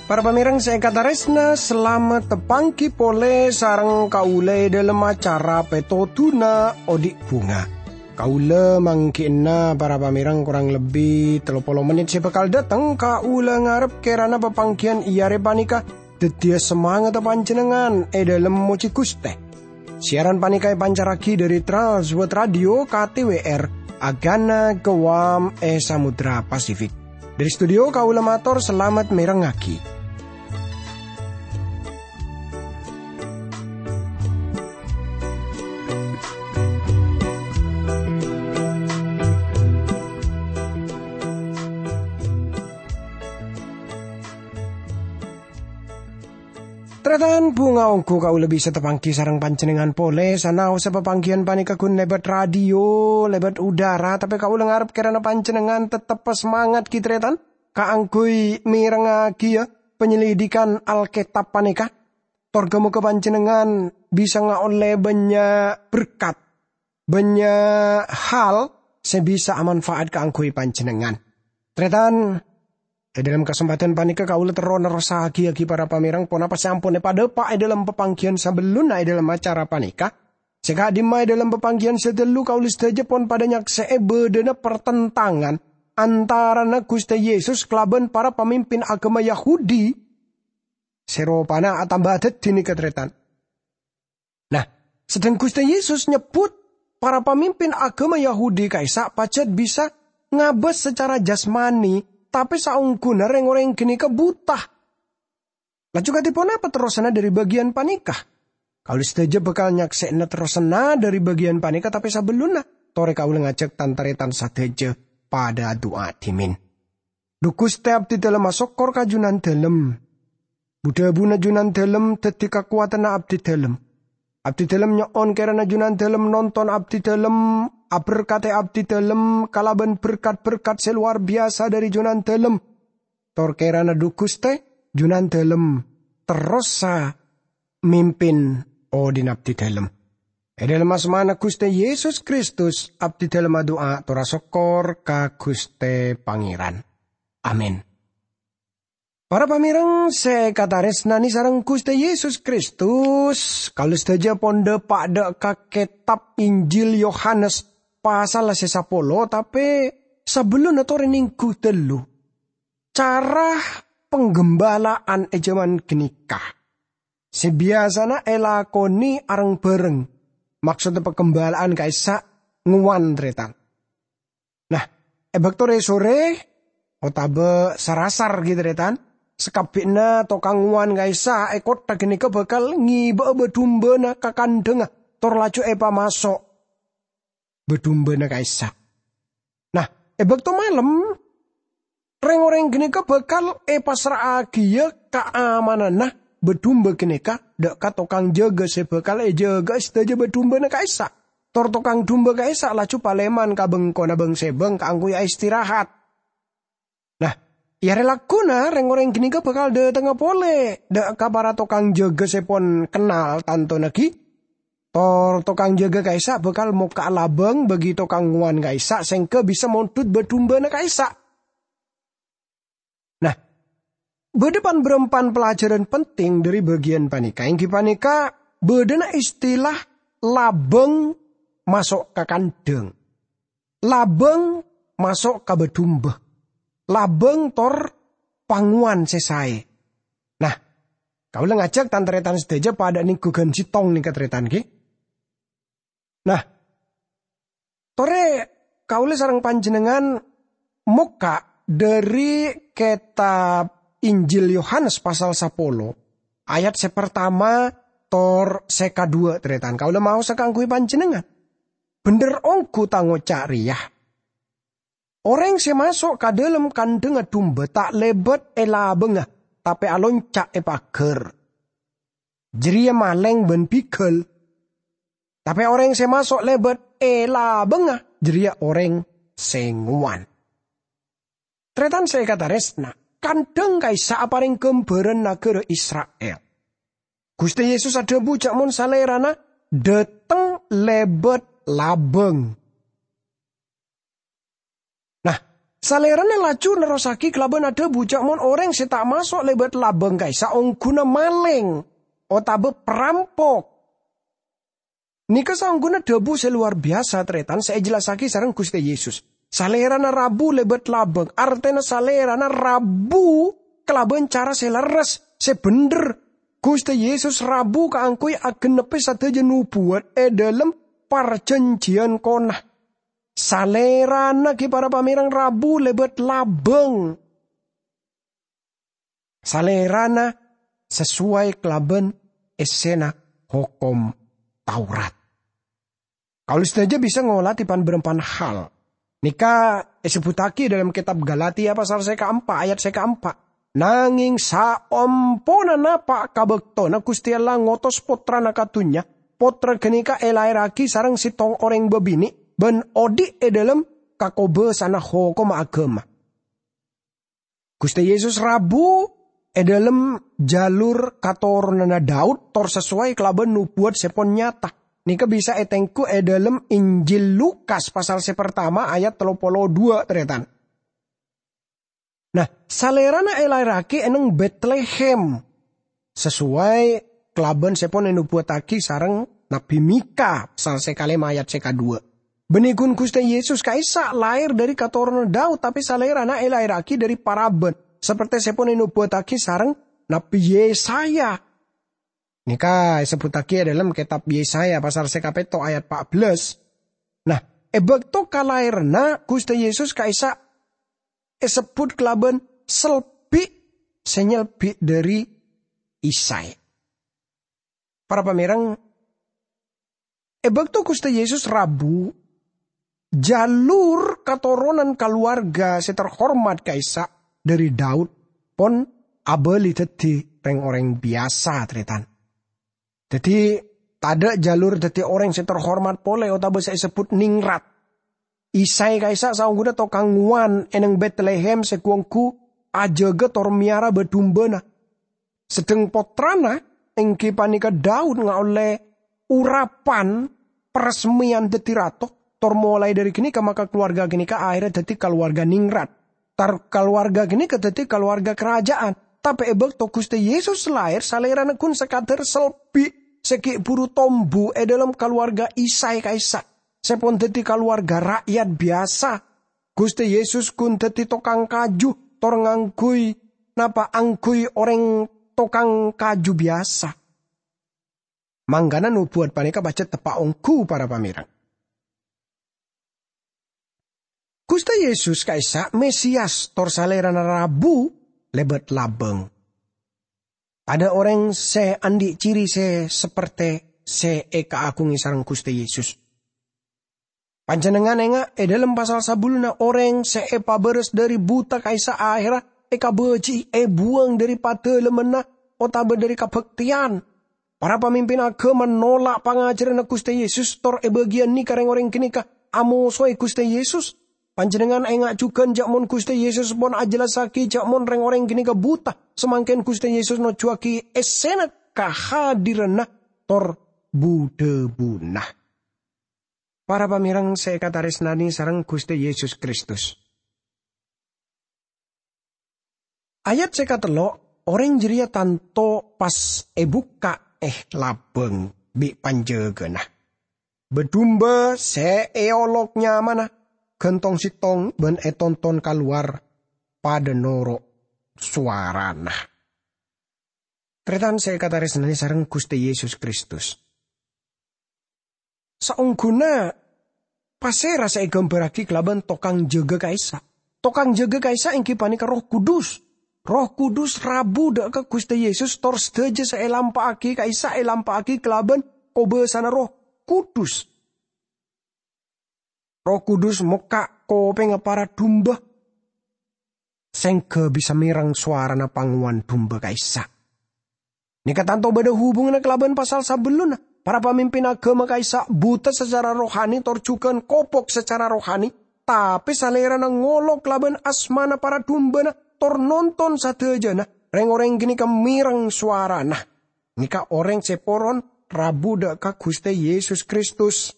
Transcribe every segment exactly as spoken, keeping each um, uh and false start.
Para pamèrèng sè èkatarèsna, salamet tapanggi polè sareng kaulâ è dhâlem acara Pètodhuna Odi' Bhunga. Kaulâ mangghi'na para pamèrèng korang lebbi tello polo mennit sè bhâkal dâteng. Kaulâ ngarep kèrana papangghiyân è arè panèka dhâddhiyâ samangatta panjhennengngan è dhâlem mojhi Ghustè. Siaran panèka èpancarraghi dhâri Trans World Radio K T W R, Agana Guam è Samudra Pasifik. Dhâri studio kaulâ mator salamet mèrengngaghi. Tarètan, bhunga ongghu kaulâ bisa tapanggi sareng panjhennengngan polè, sanaossa papangghiyân panèka ghun lèbât radio, lèbât udara, tapè kaulâ ngarep kèrana panjhennengngan tettep samangat, ghi, tarètan, kaangghuy mèrengngaghi, yâ, panyelidikan Alkètab panèka. Tor ghâ-moghâ panjhennengngan bisa ngaollè bânnya' berkat, bânnya' hal sè bisa amanfa'at kaangghuy panjhennengngan. Tarètan, è dhâlem kasempadhân panèka kaulâ terro nerrossaghi, ghi, para pamèrèng, ponapa sè ampon èpadhâpa' è dhâlem papangghiyân sabellunna è dhâlem acara panèka. Sè ka'dimma è dhâlem papangghiyân sè dhâllu kaulâ sadhâjâ pon padhâ nyaksè'è bâdâna partentangan antarana Ghustè Yesus kalabân para pamimpin aghâma Yahudi sè ropana atamba dhâddhi nèka, tarètan. Nah, sedheng Ghustè Yesus nyebbhut para pamimpin aghâma Yahudi ka'issa' pajhât bisa ngabâs sacara jasmani, tapè saongghuna rèng-orèng ghânèka buta. Laju kadhi ponapa terrosanna dhâri bâgiyân panèka? Kaulâ sadhâjâ bhâkal nyaksè'ana terrosanna dhâri bâgiyân panèka, tapè sabellunna, torè kaulâ ngajhâk tan-tarètan sadhâjâ padhâ adu'a dhimèn. Dhu Ghustè, abdhidhâlem asokkor ka Jhunandhâlem. Bu-dhâbuna Jhunandhâlem dhâddhi kakowadhânna abdhidhâlem. Abdhidhâlem nyo'on kèrana Jhunandhâlem nonton abdhidhâlem, aberkadhi abdhidhâlem kalabân berkat-berkat sè lowar biyasa dhâri Jhunandhâlem. Tor kèrana dhu Ghustè, Jhunandhâlem terrosa mimpin odhi'na abdhidhâlem. È dhâlem asmana Ghustè Yesus Kristus, abdhidhâlem adu'a tor asokkor ka Ghustè Pangèran. Amin. Para pamèrèng sè èkatarèsnanè sareng Ghustè Yesus Kristus, kaulâ sadhâjâ pon dhâpa' dhâ' ka kètab Injil Yohanes pasal sè sapolo, tapè sabellunna torè nèngghu dhâllu. Cara pangghâmbala'an è jhâman ghânèka sè biyasana èlakonè areng-bhâreng, maksodda pangghâmbala'an ka'issa' ngowan, tarètan. Nah, è bâkto rè-sorè otabâ sar-asar, ghi, tarètan, sakabbhiyânna tokang ngowan ka'issa' è kottha ghânèka bhâkal ngèbâ'â bâ-dumbâna ka kandhângnga, tor laju èpamaso' bâ-dumbâna ka'issa'. Nah, è bâkto malem, rèng-orèng ghânèka bhâkal èpassra'aghiyâ kaamananna bâ-dumbâ ghânèka dhâ' ka tokang jâgâ sè bhâkal èjâgâ'â sadhâjâ bâ-dumbâna ka'issa'. Tor tokang dumbâ ka'issa' laju palèman ka bengkona bâng-sèbâng kaangghuy aistirahat. Nah, è arè lagghuna rèng-orèng ghânèka bhâkal dâtengnga polè dhâ' ka para tokang jâgâ sè pon kennal tantona ghi. Tor tokang jâgâ ka'issa' bhâkal mokka'a labâng bagi tokang ngowan ka'issa' sèngghâ bisa mondhut bâ-dumbâna ka'issa'. Nah, bâdâ pan-bârâmpan pelajaran penting dhâri bâgiyân panèka, èngghi panèka bâdâna istilah labâng maso' ka kandhâng. Labâng maso' ka bâ-dumbâ. Labâng tor pangowan sè saè. Nah, kaulâ ngajhâk tan-tarètan sadhâjâ padâ nèngghu ghân sèttong nèka, tarètan, ghi. Nah, torè kaulâ sareng panjhennengngan mokka' dhâri kètab Injil Yohanes pasal sapolo, ayat sè partama tor sè kadhuwâ', tarètan. Kaulâ maosa kaangghuy panjhennengngan. Bhendher ongghu tang oca' rèya. Orèng sè maso' ka dhâlem kandhângnga dumbâ ta' lèbât è labângnga, tapè alonca' è paghâr. Jârèya malèng bân bigâl. Tapè orèng sè maso' lèbât è labângnga, jârèya orèng sè ngowan. Tarètan sè èkatarèsna, kandhâng ka'issa' aparèng ghâmbhârân naghârâ Isra'il. Ghustè Yesus adhâbu jhâ' mon Salèrana dâteng lèbât labâng. Nah, Salèrana laju nerrossaghi kalabân adhâbu jhâ' mon orèng sè ta' maso' lèbât labâng ka'issa' ongghuna malèng otabâ parampok. Nèka saongghuna dhâbu sè lowar biyasa, tarètan, sè èjellassaghi sareng Ghustè Yesus. Salèrana rabu lèbât labâng, artèna Salèrana rabu kalabân cara sè lerres, sè bhendher. Ghustè Yesus rabu kaangghuy agennebbhi sadhâjâ nobuwât è dhâlem parjhânjhiyân kona. Salèrana ghi' para pamèrèng rabu lèbât labâng. Salèrana sasoway kalabân èssèna Hokom Taurat. Kaulâ sadhâjâ bisa ngolatè pan-bârâmpan hal. Nèka èsebbhuttaghi dâlem kètab Galatia pasal sè kaempa' ayat sè kaempa'. Nangèng saompona napa' ka bâktona Ghustè Allah ngotos Pottrana ka dhunnya, Pottra ghânèka èlaèrraghi sareng sèttong orèng bâbinè' bân odi' è dhâlem kakobâsana hokomma aghâma. Ghustè Yesus rabu è dhâlem jalur katoronanna Daud tor sasoway kalabân nobuwât sè pon nyata. Nèka bisa ètengghu è dhâlem Injil Lukas pasal sè partama ayat tello polo duwâ', tarètan. Nah, Salèrana èlaèrraghi è neng Betlehem, sasoway kalabân sè pon ènobuwâttaghi sareng Nabbhi Mika, pasal sè kalèma ayat sè kaduwâ'. Bânnè ghun Ghustè Yesus ka'issa' laèr dhâri katoronanna Daud, tapè Salèrana èlaèrraghi dhâri paraban, saperte sè pon ènobuwâttaghi sareng Nabbhi Yesaya. Nèka èsebbhuttaghi è dhâlem kètab Yesaya pasal sè kapètto' ayat pa' bellâs. Nah, è bâkto kalaèranna Ghustè Yesus ka'issa' èsebbhut kalabân selbi' sè nyelbi' dhâri Isai. Para pamèrèng, è bâkto Ghustè Yesus rabu, jalur katoronan kaluwarga sè terhormat ka'issa' dhâri Daud pon abâli dhâddhi rèng-orèng biyasa, tarètan. Dhâddhi, tadâ' jalur dhâddhi orèng sè terhormat polè otabâ sè èsebbhut ningrat. Isai ka'issa' saongghuna tokang ngowan è neng Betlehem sè ghu-ongghu ajâgâ tor mèyara bâ-dumbâna. Sedheng pottrana, èngghi panèka Daud, ngaollè orapan paresmèyan dhâddhi rato, tor molaè dhâri ghânèka maka kaluwarga ghânèka aherra dhâddhi kaluwarga ningrat. Tor kaluwarga ghânèka dhâddhi kaluwarga karaja'an. Tapè è bâkto Ghustè Yesus laèr, Salèrana ghun sakadhâr selbi' sè ghi' bhuru tombu è dhâlem kaluwarga Isai ka'issa', sè pon dhâddhi kaluwarga ra'yat biyasa. Ghustè Yesus ghun dhâddhi tokang kaju, tor ngangghuy napa angghuy orèng tokang kaju biyasa. Mangkana nobuwât panèka pajhât teppa' ongghu, para pamèrèng. Ghustè Yesus ka'issa' Mesias tor Salèrana rabu lèbât labâng. Tadâ' orèng sè andi' ciri sè saperte sè èkaaghungè sareng Ghustè Yesus. Panjhennengngan enga' è dhâlem pasal sabellunna orèng sè èpabârâs dhâri buta ka'issa' aherra èkabâji'i èbuwâng dhâri padâlemmanna otabâ dhâri kabhâktèyan. Para pamimpin aghâma nola' pangajhârânna Ghustè Yesus, tor è bâgiyân nèka rèng-orèng ghânèka amosoè Ghustè Yesus. Panjhennengngan enga' jhughân jhâ' mon Ghustè Yesus pon ajellassaghi jhâ' mon rèng-orèng ghânèka buta, samangkèn Ghustè Yesus nojuwâghi èssèna kahadiranna tor bu-dhâbuna. Para pamèrèng sè èkatarèsnanè sareng Ghustè Yesus Kristus. Ayat sè katello', orèng jârèya tanto pas èbukka' è labâng bi' panjâgâna. Bâ-dumbâ sè èolok nyamana, ghântong sèttong bân ètonton kalowar padâ noro' sowarana. Tarètan sè èkatarèsnanè sareng Ghustè Yesus Kristus. Saongghuna pasèra sè èghâmbhârraghi kalabân tokang jâgâ ka'issa'? Tokang jâgâ ka'issa' èngghi panèka Erroh Kudus. Erroh Kudus rabu dâ' ka Ghustè Yesus, tor sadhâjâ sè èlampa'aghi ka'issa' èlampa'aghi kalabân kobâsana Erroh Kudus. Erroh Kudus mokka' kopèngnga para dumbâ, sèngghâ bisa mèreng sowarana pangowan dumbâ ka'issa'. Nèka tanto bâdâ hubunganna kalabân pasal sabellunna. Para pamimpin aghâma ka'issa' buta sacara rohani tor jhughân kopok sacara rohani, tapè Salèrana ngolok kalabân asmana para dumbâna tor nonton sadhâjâna rèng-orèng ghânèka mèreng sowarana. Ghânèka orèng sè poron rabu dhâ' ka Ghustè Yesus Kristus.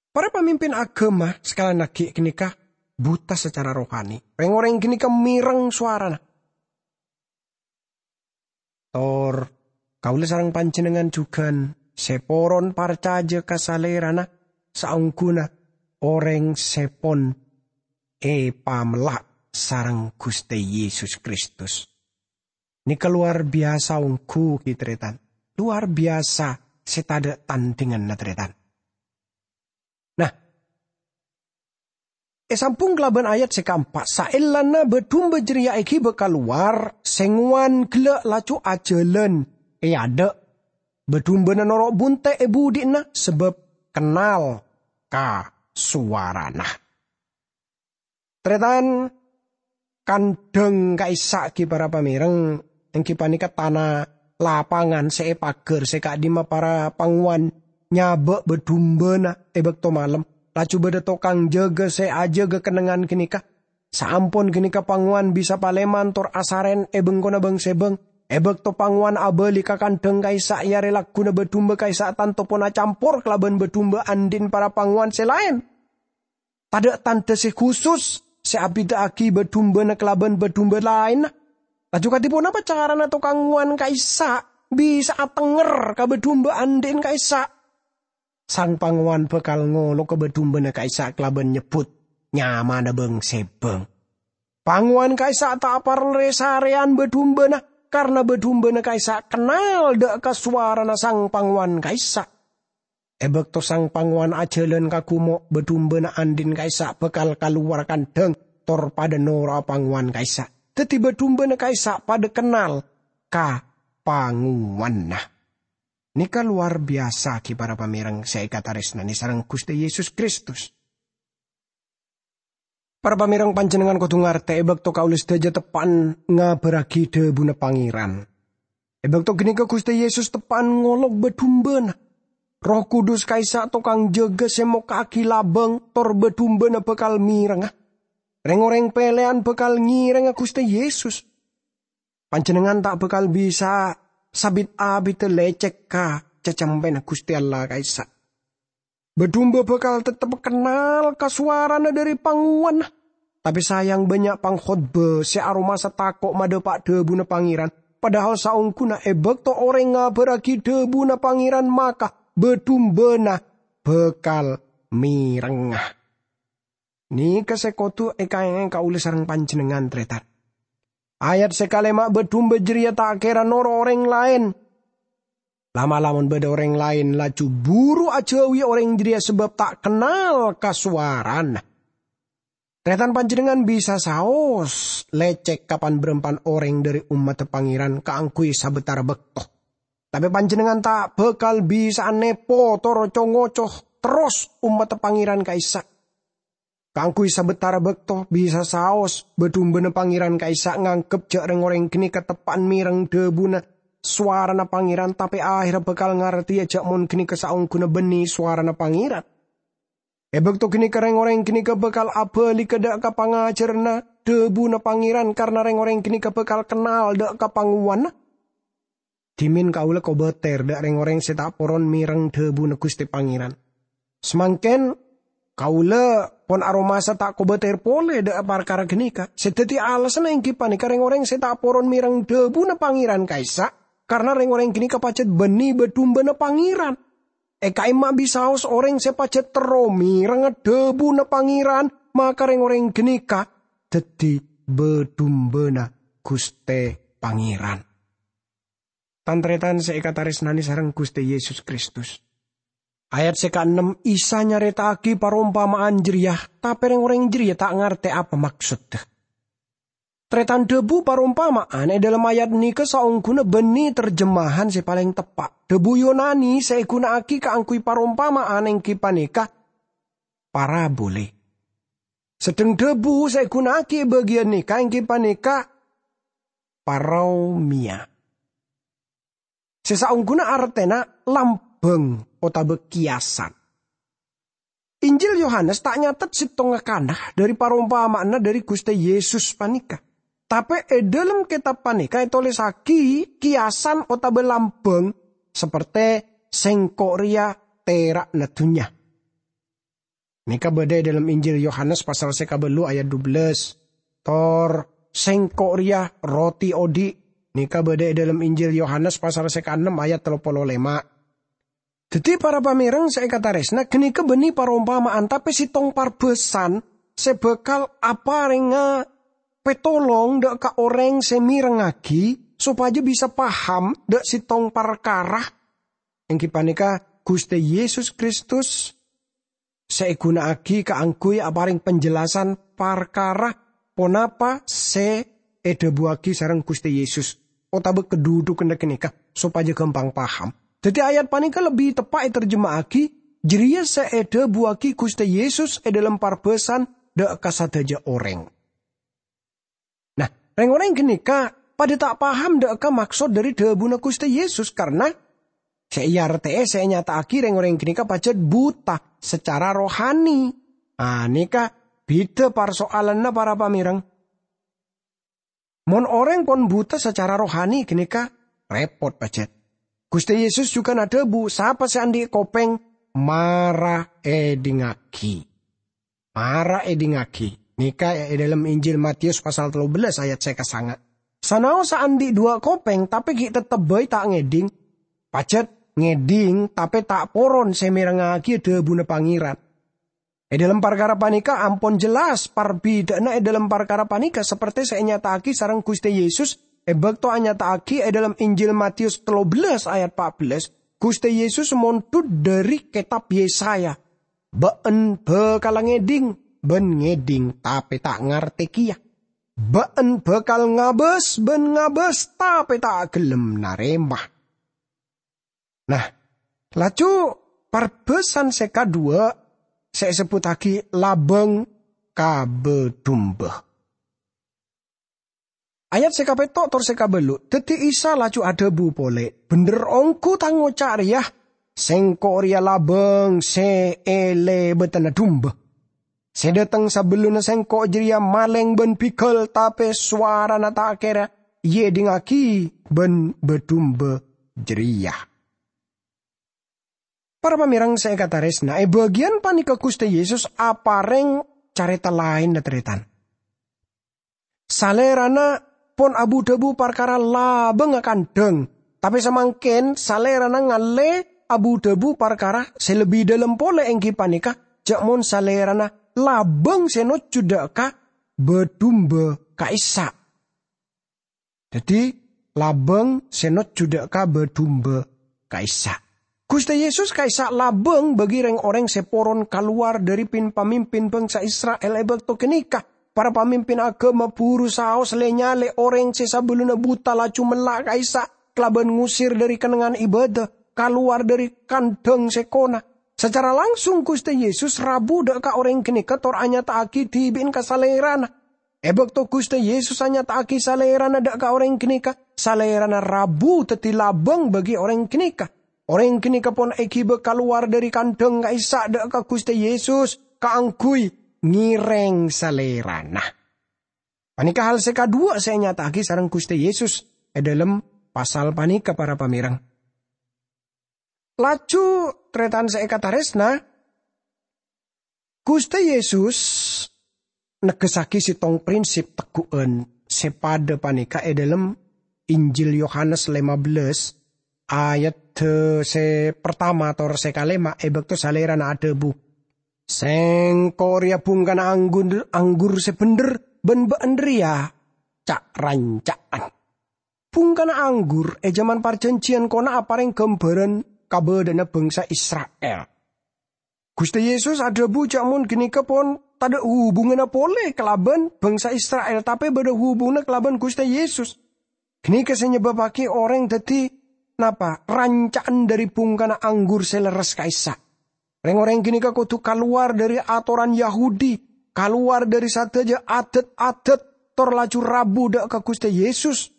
Para pamimpin aghâma sakalèyan aghi' ghânèka buta sacara rohani. Rèng-orèng ghânèka mèreng sowarana. Tor kaulâ sareng panjhennengngan jhughân sè poron parcajâ ka Salèrana saongghuna orèng sè pon èpamella' sareng Ghustè Yesus Kristus. Nèka lowar biyasa ongghu, ghi, tarètan. Lowar biyasa sè tadhâ' tandhinganna, tarètan. Nah, èsambhung kalabân ayat sè kaempa', "Saellana bâdhumba jârèya èghibâ kalowar, sèngowan ghellâ' laju ajhâlân è adâ'. Bâdhumbâna noro' bunte' è buḍi'na, sabâb kennal ka sowarana." Tarètan, kandhâng ka'issa' ghi para pamèreng, èngghi panèka tana lapangan sè èpaghâr sè ka'dimma para pangowan nyabâ' bâdhumbâna è bâkto malem. Laju bâḍâ tokang jâgâ sè ajâgâ kennengngan ghânèka. Saampon ghânèka pangowan bisa palèman tor asarèn è bengkona bâng-sèbâng. È bâkto pangowan abâli ka kandhâng ka'issa' è arè lagghuna bâdhumba ka'issa' tanto pon acampor kalabân bâdhumba anḍi'na para pangowan sè laèn. Tadhâ' tandhâ sè khusus sè abhidhâ'aghi bâdhumbâna kalabân bâdhumba laènna. Laju kadhi ponapa carana tokang ngowan ka'issa' bisa atenger ka bâdhumba anḍi'na ka'issa'? Sang pangowan bhâkal ngolok ka bâdhumbâna ka'issa' kalabân nyebbhut nyamana bâng-sèbâng. Pangowan ka'issa' ta' parlo rè-sarèyan bâdhumbâna, karna bâdhumbâna ka'issa' kennal dhâ' ka sowarana sang pangowan ka'issa'. È bâkto sang pangowan ajhâlân ka ghumo', bâdhumbâna anḍi'na ka'issa' bhâkal kalowar kandhâng tor paḍâ noro'a pangowan ka'issa'. Dhâddhi bâdhumbâna ka'issa' paḍâ kennal ka pangowanna. Nèka lowar biyasa ghi para pamèreng sè èkatarèsnanè sareng Ghustè Yesus Kristus. Para pamèreng, panjhennengngan kodhu ngartè è bâkto kaulâ sadhâjâ teppa'an ngabârraghi dhâbuna Pangèran. È bâkto ghânèka Ghustè Yesus teppa'an ngolok bâdhumbâna. Erroh Kudus ka'issa' tokang jâgâ sè mokka'aghi labâng tor bâdhumbâna bhâkal mèrengnga. Rèng-orèng pèlèyan bhâkal ngèrèngnga Ghustè Yesus. Panjhennengngan ta' bhâkal bisa sabit-abidhâ lècèk ka cacempèna Ghustè Allah ka'issa'. Bâdhumba bhâkal teptep kennal ka sowarana ḍâri pangowanna. Tapè sayang, bânnya' pangkhotbah sè aromasa tako' maḍâpa' dhâbuna Pangèran, padahal saongghuna è bâkto orèng ngabârraghi dhâbuna Pangèran, maka bâdhumbana bhâkal mèrengnga. Nèka sè kodhu èkaèngè kaulâ sareng panjhennengngan, tarètan. Ayat sè kalèma', bâdhumba jârèya ta' kèra noro' orèng laèn. La'-mala' mon bâḍâ orèng laèn, laju buru ajâuwi orèng jârèya sabâb ta' kennal ka sowarana. Tarètan, panjhennengngan bisa saos lècèk ka pan-bârâmpan orèng ḍâri ommaddhâ Pangèran kaangghuy sabâtara bâkto. Tapè panjhennengngan ta' bhâkal bisa'a nèpo tor co-ngoco terros ommaddhâ Pangèran ka'issa'. Kaangghuy sabâtara bâkto bisa saos bâdhumbâna Pangèran ka'issa' nganggep jâ' rèng-orèng ghânèka teppa'an mèreng dhâbuna sowarana Pangèran, tapè ahèrra bhâkal ngartèya jâ' mon ghânèka saongghuna bânnè sowarana Pangèran. È bâkto ghânèka rèng-orèng ghânèka bhâkal abâligâ ḍâ' ka pangajhârânna dhâbuna Pangèran, karna rèng-orèng ghânèka bhâkal kennal ḍâ' ka pangowanna. Dhimèn kaulâ kobâtèr ḍâ' rèng-orèng sè ta' poron mèreng dhâbuna Ghustè Pangèran. Samangkèn kaulâ pon aromasa ta' kobâtèr polè ḍâ' parkara ghânèka. Sè dhâddhi alasanna èngghi panèka rèng-orèng sè ta' poron mèreng dhâbuna Pangèran ka'issa', karna rèng-orèng ghânèka pajhât bânnè bâdhumbâna Pangèran. È ka'imma bisaos orèng sè pajhât terro mèrengnga dhâbuna Pangèran, maka rèng-orèng ghânèka dhâddhi bâdhumbâna Ghustè Pangèran. Tan-tarètan sè èkatarèsnanè sareng Ghustè Yesus Kristus. Ayat sè kaennem, Isa nyarèta'aghi parompama'an jârèya, tapè rèng-orèng jârèya ta' ngartè apa maksodda. Tarètan, dhâbu parompama'an è ḍâlem ayat nèka saongghuna bânnè terjemahan sè palèng teppa'. Dhâbu Yunani sè èghuna'aghi kaangghuy parompama'an èngghi panèka parabolè. Sedheng dhâbu sè èghuna'aghi è bâgiyân nèka èngghi panèka paraomia. Sè saongghuna artèna lambâng otabâ kiyasan. Injil Yohanes ta' nyatet sèttongnga kana ḍâri parompama'anna ḍâri Ghustè Yesus panèka. Tapè è dhâlem kètab panèka ètolèsaghi kiyasan otabâ lambâng saperte "Sèngko' rèya tera'na dhunnya". Nèka bâdâ è dhâlem Injil Yohanes pasal sè kabâllu' ayat dubellâs. Tor "Sèngko' rèya roti odi'", nèka bâdâ è dhâlem Injil Yohanes pasal sè kaennem ayat tello polo lèma'. Dhâddhi, para pamèreng sè èkatarèsna, ghânèka bânnè parompama'an, tapè sèttong parbhâsan sè bhâkal aparènga pètolong dhâ' ka orèng sè mèrengngaghi sopajâ bisa paham dhâ' sèttong parkara, èngghi panèka Ghustè Yesus Kristus sè èghuna'aghi kaangghuy aparèng panjelasan parkara ponapa sè èdhâbuwâghi sareng Ghustè Yesus, otabâ kadhudhughânna ghânèka, sopajâ ghâmpang paham. Dhâddhi, ayat panèka lebbi teppa' ètarjema'aghi, "Jârèya sè èdhâbuwâghi Ghustè Yesus è dhâlem parbhâsan dhâ' ka sadhâjâ orèng." Nah, rèng-orèng ghânèka padâ ta' paham dhâ' ka maksod dhâri dhâbuna Ghustè Yesus, karna sè èartè'è sè ènyata'aghi rèng-orèng ghânèka pajhât buta sacara rohani. Anèka bhidhâ parsoalanna, para pamèreng. Mon orèng pon buta sacara rohani ghânèka rèpot pajhât. Ghustè Yesus jhughân adhâbu, "Sapa sè andi' kopèng, mara èdhingngaghi." Mara èdhingngaghi. Nèka è dhâlem Injil Matius pasal tello bellâs ayat sè kasanga'. Sanaossa andi' duwâ' kopèng, tapè ghi' teptep bhâi ta' ngèdhing. Pajhât ngèdhing, tapè ta' poron sè mèrengngaghi dhâbuna Pangèran. È dhâlem parkara panèka ampon jelas parbidhâ'ânna è dhâlem parkara panèka saperte sè ènyata'aghi sareng Ghustè Yesus è bâkto anyata'aghi è dhâlem Injil Matius tello bellâs ayat pa' bellâs, Ghustè Yesus mondhut dhâri kètab Yesaya. "Bâ'en bhâkal ngèdhing bân ngèdhing, tapè ta' ngartè kèya. Bâ'en bhâkal ngabâs bân ngabâs, tapè ta' ghellem narèma." Nah, laju parbhâsan sè kaduwâ' sè èsebbhuttaghi labâng ka bâdhumbâ. Ayat sè kapètto' tor sè kabâllu', dhâddhi Isa laju adhâbu polè, "Bhendher ongghu Tang oca' rèya, Sèngko' rèya labâng sè è lèbâdânna dumbâ. Sè dâteng sabellunna Sèngko' jârèya malèng bân bigâl, tapè sowarana ta' kèra èèdhingngaghi bân bâdhumbâ jârèya." Para pamèreng sè èkatarèsna, è bâgiyân panèka Ghustè Yesus aparèng carèta laènna, tarètan. Salèrana pon abu-dhâbu parkara labângnga kandhâng, tapè samangkèn Salèrana ngallè abu-dhâbu parkara sè lebbi dhâlem polè, èngghi panèka jhâ' mon Salèrana labâng sè nojjhu dhâ' ka bâdhumbâ ka'issa'. Dhâddhi, labâng sè nojjhu dhâ' ka bâdhumbâ ka'issa'. Ghustè Yesus ka'issa' labâng bagi rèng-orèng sè poron kalowar dhâri pin-pamimpin bhângsa Isra'il è bâkto ghânèka. Para pamimpin aghâma buru saos lè-nyalè orèng sè sabellunna buta laju mella' ka'issa' kalabân ngusir dhâri kennengngan ibâdâ, kalowar dhâri kandhâng sèkona. Sacara langsung Ghustè Yesus rabu dhâ' ka orèng ghânèka tor anyata'aghi dhibi'na ka Salèrana. È bâkto Ghustè Yesus anyata'aghi Salèrana dhâ' ka orèng ghânèka, Salèrana rabu dhâddhi labâng bagi orèng ghânèka. Orèng ghânèka pon èghibâ kalowar dhâri kandhâng ka'issa' dhâ' ka Ghustè Yesus kaangghuy ngèrèng Salèrana. Panèka hal sè kaduwâ' sè ènyata'aghi sareng Ghustè Yesus è dhâlem pasal panèka, para pamèreng. Laju, tarètan sè èkatarèsna, Ghustè Yesus negghessaghi sèttong prinsip tegghu'ân sè padâ panèka è dhâlem Injil Yohanes lèma bellâs, ayat sè partama tor sè kalèma', è bâkto Salèrana adhâbu, "Sèngko' rèya bhungkana anggur, anggur sè bhendher, bân bâ'en rèya ca'-ranca'an." Bhungkana anggur è jhâman Parjhânjhiyân Kona aparèng ghâmbhârân kabâdâ'ânna bhângsa Isra'il. Ghustè Yesus adhâbu jhâ' mon ghânèka pon tadâ' hubunganna polè kalabân bhângsa Isra'il, tapè bâdâ hubunganna kalabân Ghustè Yesus. Ghânèka sè nyebâbbhâghi orèng dhâddhi napa? Ranca'an dhâri bhungkana anggur sè lerres ka'issa'. Rèng-orèng ghânèka kodhu kalowar dhâri atoran Yahudi, kalowar dhâri sadhâjâ adât-adât, tor laju rabu dhâ' ka Ghustè Yesus.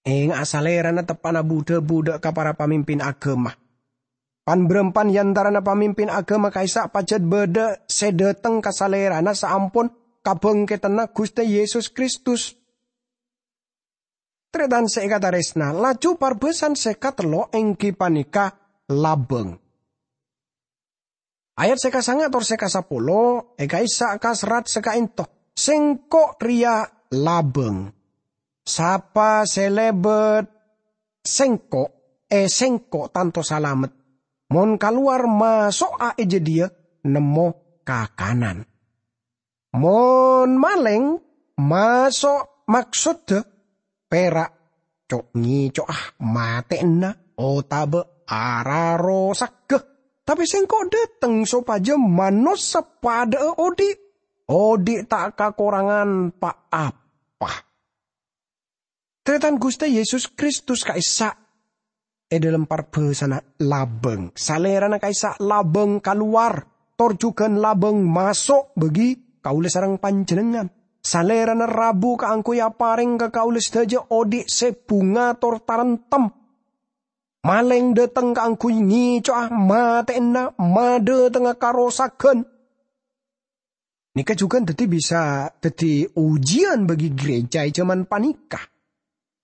Enga'a, Salèrana teppa'na bu-dhâbu dhâ' ka para pamimpin aghâma. Pan-bârâmpan è antarana pamimpin aghâma ka'issa' pajhât bâdâ sè dâteng ka Salèrana saampon kabhângkèdhânna Ghustè Yesus Kristus. Tarètan sè èkatarèsna, laju parbhâsana sè katello' èngghi panèka labâng. Ayat sè kasanga' tor sè kasapolo è ka'issa' kaserrat sè ka'ènto, "Sèngko' rèya labâng. Sapa sè lèbât Sèngko', è Sèngko' tanto salamet. Mon kalowar maso'a è jâdiyâ nemmo kakanan. Mon malèng maso' maksodda pèra' co'-ngèco'a matè'ana otabâ ararosagghâ. Tapè Sèngko' dâteng sopajâ manossa padhâ'â odi', odi' ta' kakorangan pa-apa." Tarètan Ghustè Yesus Kristus ka'issa' è dhâlem parbhâsana labâng. Salèrana ka'issa' labâng kalowar, tor jhughân labâng maso' bâgi kaulâ sareng panjhennengngan. Salèrana rabu kaangghuy aparèng ka kaulâ sadhâjâ odi' sè bhunga tor taremtem. Malèng dâteng kaangghuy ngèco'a matè'ana, madâtengnga karosagghân. Nèka jhughân dhâddhi bisa dhâddhi ojiyân bâgi gereja è jhâman panèka.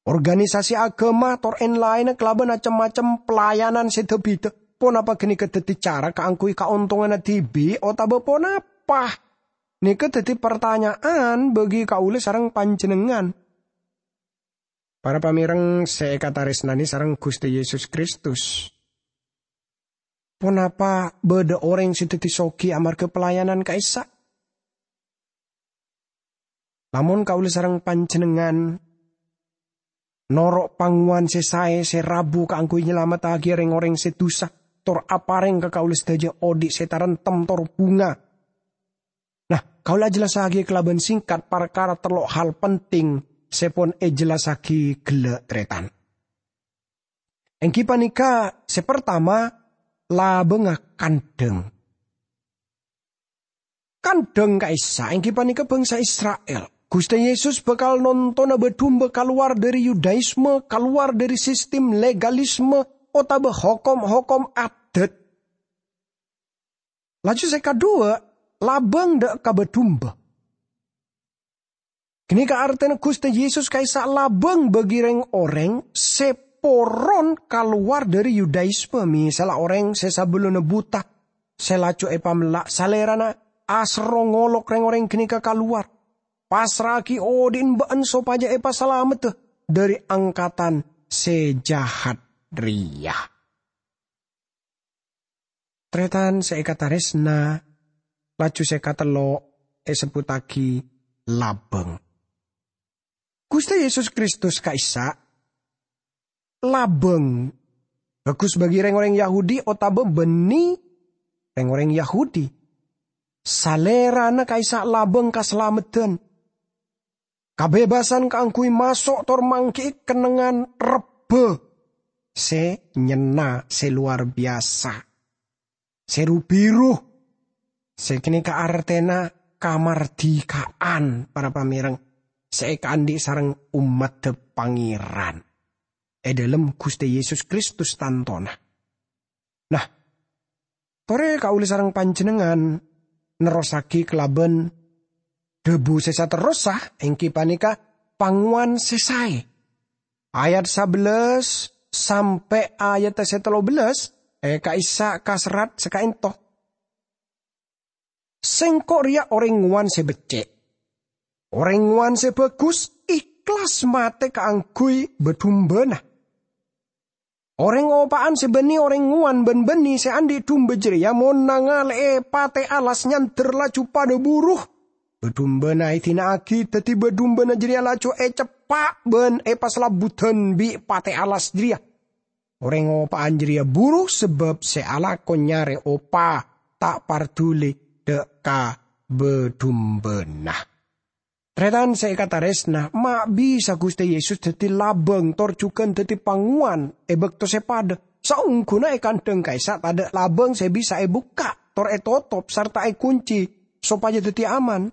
Organisasi aghâma tor èn-laènna kalabân cem-macem pelayanan sè dhâ-bhidhâ, ponapa ghânèka dhâddhi cara kaangghuy kaontonganna dhibi' otabâ ponapa? Nèka dhâddhi partanya'an bâgi kaulâ sareng panjhennengngan. Para pamèreng sè èkatarèsnanè sareng Ghustè Yesus Kristus, ponapa bâdâ orèng sè dhâddhi soghi amarghâ pelayanan ka'issa'? Lamon kaulâ sareng panjhennengngan noro' pangowan sè saè sè rabu kaangghuy nyalamettaghi rèng-orèng sè dusa, tor aparèng ka kaulâ sadhâjâ odi' sè taremtem tor bhunga. Nah, kaulâ ajhellassaghi kalabân sèngkat parkara tello' hal penting sè pon èjhellassaghi ghellâ' tarètan. Èngghi panèka, sè partama, labângnga kandhâng. Kandhâng ka'issa' èngghi panèka bangsa Isra'il. Ghustè Yesus bhâkal nontona bâ-dumba kalowar dhâri Yudaisme, kalowar dhâri sistem legalisme otabâ hokom-hokom adat. Laju sè kaduwâ', labâng dâ' ka bâ-dumba. Ghânèka artèna Ghustè Yesus ka'issa' labâng bâgi rèng-orèng sè poron kalowar dhâri Yudaisme, mèsalla orèng sè sabellunna buta, sè laju èpamella', Salèrana aserro ngolok rèng-orèng ghânèka kalowar. Passra'aghi odi'na bâ'na sopajâ èpasalameddhâ dhâri angkatan sè jahat rèya. Tarètan sè èkatarèsna, laju sè katello' èsebbhuttaghi labâng. Ghustè Yesus Kristus ka'issa' labâng. Bhâghus bâgi rèng-orèng Yahudi otabâ bânnè rèng-orèng Yahudi. Salèrana ka'issa' labâng kasalameddhân. Kabhebasân kaangghuy maso' tor mangghi'i kennengngan rebbhâ sè nyenna, sè lowar biyasa, sè ru-biru, sè ghânèka artèna kamardhikaan, para pamèreng, sè èkaandhi' sareng ommaddhâ Pangèran è dhâlem Ghustè Yesus Kristus tantona. Nah, torè kaulâ sareng panjhennengngan nerrossaghi kalabân dhâbu sè saterrossa, èngghi panèka pangowan sè saè. Ayat sabellâs sampè' ayat sè tello bellâs, è ka'issa' kaserrat sè ka'ènto. Sèngko' rèya orèng ngowan sè beccè'. Orèng ngowan sè bhâghus, èhlas matè kaangghuy bâ-dumbâna. Orèng opa'an sè bânnè orèng ngowan bân bânnè sè andhi' dumbâ jârèya mon nangalè'è patè' alas nyandher laju padâ buru. Bâ-dumbâna èdina'aghi dhâddhi bâ-dumbâna jârèya laju èceppa' bân èpasalabbhudhân bi' patè' alas jârèya. Orèng opa'an jârèya buru sabâb sè alako nyarè opa, ta' parduli dâ' ka bâ-dumbâna. Tarètan sè èkatarèsna, ma' bisa Ghustè Yesus dhâddhi labâng tor jhughân dhâddhi pangowan è bâkto sè padâ. Saongghuna è kandhâng ka'issa' tadâ' labâng sè bisa èbukka' tor ètotop sarta èkoncè sopajâ dhâddhi aman.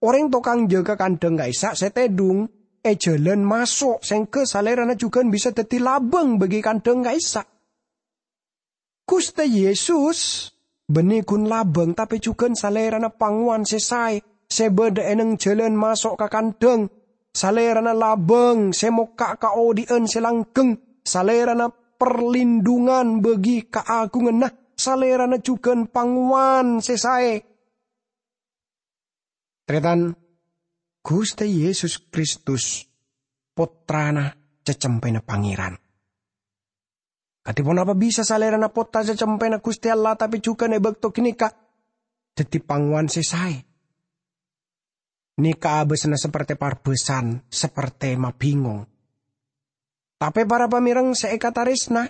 Orèng tokang jâgâ kandhâng ka'issa' sè tèdhung è jhâlân maso' sèngghâ Salèrana jhughân bisa dhâddhi labâng bâgi kandhâng ka'issa'. Ghustè Yesus bânnè ghun labâng, tapè jhughân Salèrana pangowan sè saè. sè bâdâ è neng jhâlân maso' ka kandhâng. Salèrana labâng sè mokka' ka odi'ân sè langgheng. Salèrana parlindhungan bâgi kaagunganna. Salèrana jhughân pangowan sè saè. Tarètan, Ghustè Yesus Kristus, Pottrana cacempèna Pangèran. Kadhi ponapa bisa Salèrana Pottra cacempèna Ghustè Allah, tapè jhughân è bâkto ghânèka dhâddhi pangowan sè saè? Nèka abâsana saperte parbâsan, saperte mabingong. Tapè para pamèreng sè èkatarèsna,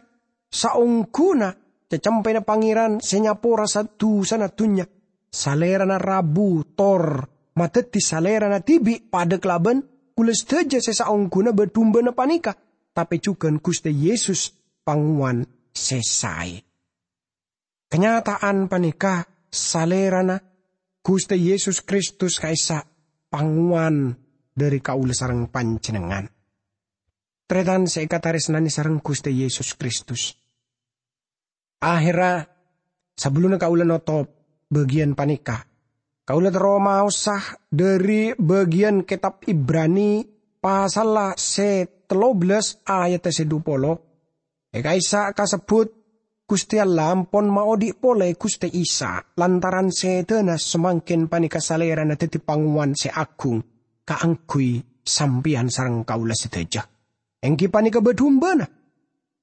saongghuna cacempèna Pangèran sè nyapora sa-, dusana dhunnya, Salèrana rabu tor madhâddhi Salèrana dhibi' padâ kalabân kaulâ sadhâjâ sè saongghuna bâ-dumbâna panèka, tapè jhughân Ghustè Yesus pangowan sè saè. Kanyata'an panèka Salèrana, Ghustè Yesus Kristus ka'issa' pangowan dhâri kaulâ sareng panjhennengngan. Tarètan sè èkatarèsnanè sareng Ghustè Yesus Kristus. Aherra, sabellunna kaulâ notop bâgiyân panèka, kaulâ terro maosa dhâri bâgiyân Kètab Ibrani pasalla sè tello bellas ayatta sè dhu polo. È ka'issa' kasebbhut, Ghustè Allah ampon maodhi' polè Ghustè Isa, lantaran sèdhâna samangkèn panèka Salèrana dhâddhi pangowan sè agung kaangghuy sampèyan sareng kaulâ sadhâjâ, èngghi panèka bâ-dumbâna.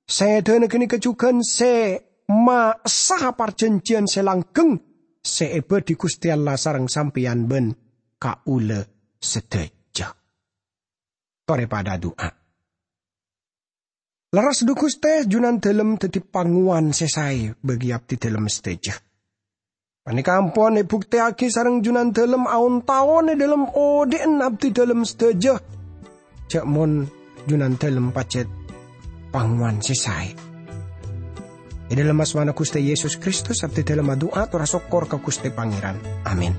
Sèdhâna ghânèka jhughân sè maessa parjhânjhiyân sè langgheng sè èbâdhi Ghustè Allah sareng sampèyan bân kaulâ sadhâjâ. Torè padâ adu'a. Lerres, dhu Ghustè, Junandâlem dhâddhi pangowan sè saè bâgi abdhidâlem sadhâjâ. Panèka ampon èbuktèyaghi sareng Junandâlem aon-taon è dhâlem odhi'na abdhidâlem sadhâjâ, jhâ' mon Junandâlem pajhât pangowan sè saè. È dhâlem asmana Ghustè Yesus Kristus, abdhidâlem adu'a tor asokkor ka Ghustè Pangèran. Amin.